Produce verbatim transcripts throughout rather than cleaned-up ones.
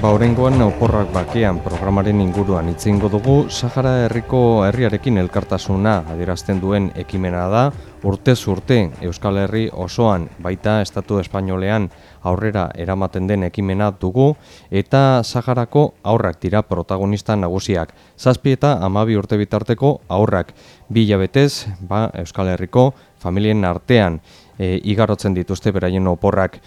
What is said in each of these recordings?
Ba, oraingoan Oporrak Bakean programaren inguruan hitz egingo dugu. Sahara herriko herriarekin elkartasuna adierazten duen ekimena da. Urtez urte Euskal Herri osoan, baita Estatu Espainolean aurrera eramaten den ekimena dugu, eta Saharako haurrak dira protagonista nagusiak. Zazpi eta hamabi urte bitarteko haurrak bi hilabetez, ba, Euskal Herriko familien artean e, igarotzen dituzte beraien oporrak.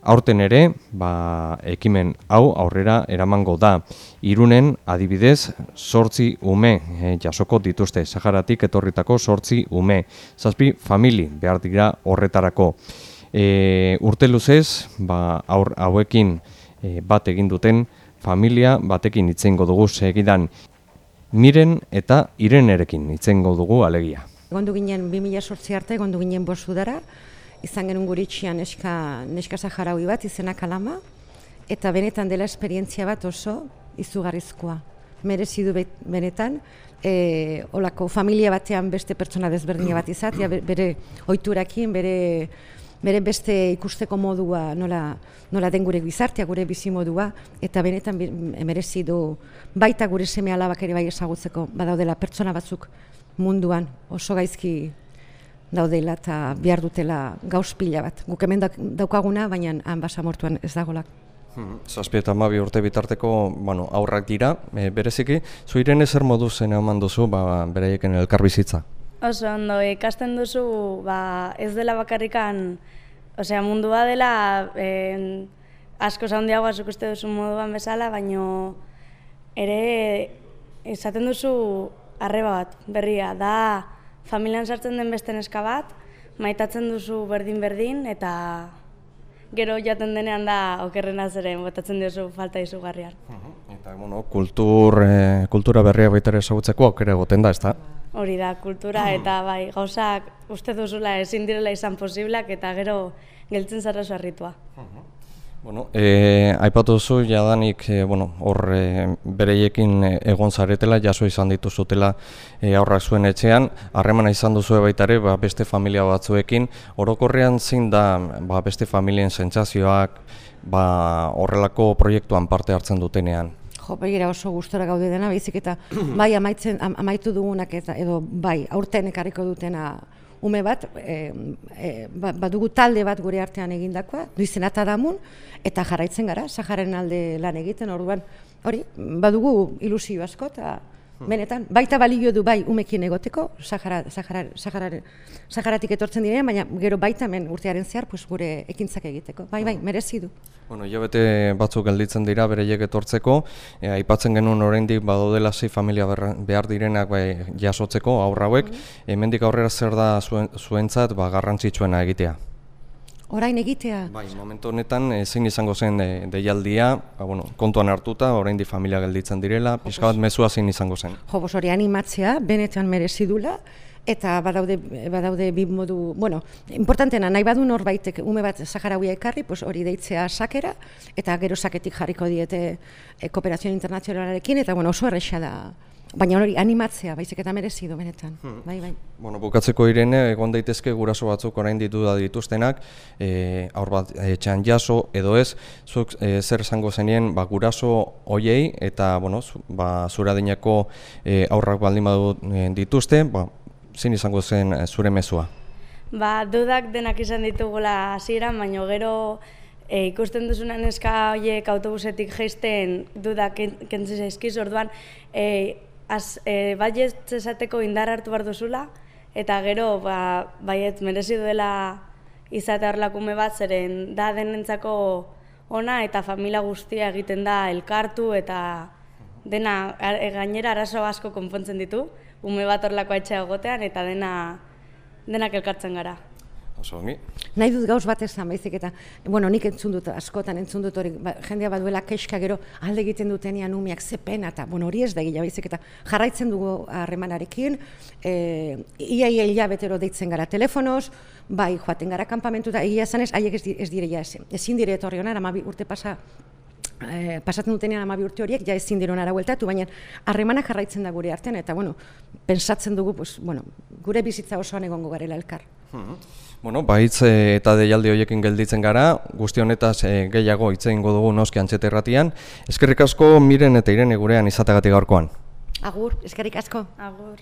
Aurten ere, ba, ekimen hau aurrera eramango da. Irunen, adibidez, zortzi ume e, jasoko dituzte, Saharatik etorritako zortzi ume. Zazpi famili behar dira horretarako. E, urte luzez, ba, aur, hauekin e, bat egin duten familia batekin itzengo dugu segidan. Miren eta Irenerekin itzengo dugu alegia. Gondu ginen bi mila zortzi arte, gondu ginen bost udara. Izan genuen guritxian neska, neska saharaui bat, izena Kalama, eta benetan dela esperientzia bat oso izugarrizkoa. Merezi du benetan, e, olako familia batean beste pertsona desberdina bat izatea, bere ohiturakin, bere, bere beste ikusteko modua nola, nola den gure gizartea, gure bizimodua, eta benetan merezi du baita gure seme alabak ere bai ezagutzeko, badaudela pertsona batzuk munduan oso gaizki daudela eta behar dutela gauz pila bat. Guk hemen daukaguna, baina han basamortuan ez dagolak. Zazpi eta hamabi urte bitarteko bueno, aurrak dira, e, bereziki, zu Irene zer modu zen eman duzu ba, beraieken elkarbizitza? Oso ondo, ikasten duzu ba, ez dela bakarrikan, osea, mundua dela eh, asko zaundiagoa zuk uste duzu moduan bezala, baino ere esaten duzu arreba bat, berria, da familian sartzen den beste neska bat, maitatzen duzu berdin-berdin, eta gero jaten denean da okerrena zeren botatzen duzu falta izugarrian. Eta, bueno, kultur, eh, kultura berria baita ere ezagutzeko aukera egoten da, ezta? Hori da, kultura eta bai, gauzak uste duzula ezin direla izan posiblak eta gero geltzen zara sarritua. Bueno, eh, aipatu duzu jadanik eh, bueno, hor eh, bereiekin egon zaretela, jaso izan dituzutela eh, aurrak zuen etxean, harremana izan duzu baita ere ba, beste familia batzuekin, orokorrean zein da ba, beste familien sentsazioak ba, horrelako proiektuan parte hartzen dutenean? Jo, begira oso gustora gaude dena, baizik eta bai amaitzen, am, amaitu dugunak eta edo bai aurten ekarriko dutena ume bat, e, e, badugu talde bat gure artean egindakoa, duizen eta damun, eta jarraitzen gara, Sahararen alde lan egiten, orduan, hori, badugu ilusio asko, eta benetan, baita balio du bai umekin egoteko, Sahara, Sahara, Sahara, Saharatik etortzen direnean, baina gero baita hemen urtearen zehar, pues, gure ekintzak egiteko, bai, bai, merezi du. Bueno, hilabete batzuk gelditzen dira bereiek etortzeko, e, aipatzen genuen oraindik badaudela sei familia behar direnak bai, jasotzeko aurra hauek, mm-hmm. Hemendik aurrera zer da zuen, zuentzat ba, garrantzitsuena egitea? Orain egitea? Bai, momentu honetan zein izango zen de, deialdia, ba, bueno, kontuan hartuta, oraindik familia gelditzen direla, pixka bat mezua zein izango zen? Jo, bos hori animatzea, benetan merezi dula, eta badaude, badaude bi modu, bueno, importantena, nahi badu norbaitek ume bat saharauia ekarri, pues hori deitzea sakera, eta gero saketik jarriko diete e, kooperazio internazionalarekin, eta bueno, oso erresa da. Baina hori animatzea, baizik eta merezi du benetan. Hmm. Bai, bai. Bueno, bukatzeko Irene, egon daitezke guraso batzuk orain ditu da dituztenak, e, aur bat etxean jaso edo ez, zuk e, zer esango zenien ba, guraso hoiei eta bueno, zu, ba, zura dinako e, aurrak baldin badu e, dituzte, ba, zein izango zen zure mezua? Ba, dudak denak izan ditugula hasieran, baina gero e, ikusten duzunan neska horiek autobusetik jaisten dudak kentzen zaizkiz, orduan e, az, e, baiet esateko indar hartu behar duzula, eta gero ba, baiet merezi duela izate horlakume bat, zeren da denentzako ona eta familia guztia egiten da elkartu eta dena e, gainera arazo asko konpontzen ditu, ume bat horlako etxea egotean eta dena denak elkartzen gara. Oso ongi. Nahi dut gauz bat esan baizik eta, bueno, nik entzun dut, askotan entzun dut hori, ba, jendea baduela keska gero alde egiten dutenean umeak ze pena, eta, bueno, hori ez da gila baizik eta jarraitzen dugu harremanarekin, e, ia ia hilabetero deitzen gara telefonoz, bai joaten gara kanpamentu, eta egia zanez, haiek ez, ez dire ja ezin, ezin dire etorri honar, amabi urte pasa, Eh, pasatzen dutenean hamabi urte horiek, ja ezin diren ara bueltatu, baina harremanak jarraitzen da gure artean, eta bueno, pensatzen dugu, pues, bueno, gure bizitza osoan egongo garela elkar. Bueno, baitz e, eta deialdi horiekin gelditzen gara, guzti honetaz e, gehiago hitz egingo dugu noski Antxete irratian. Eskerrik asko Miren eta Irene gurean izateagatik gaurkoan. Agur, eskerrik asko. Agur.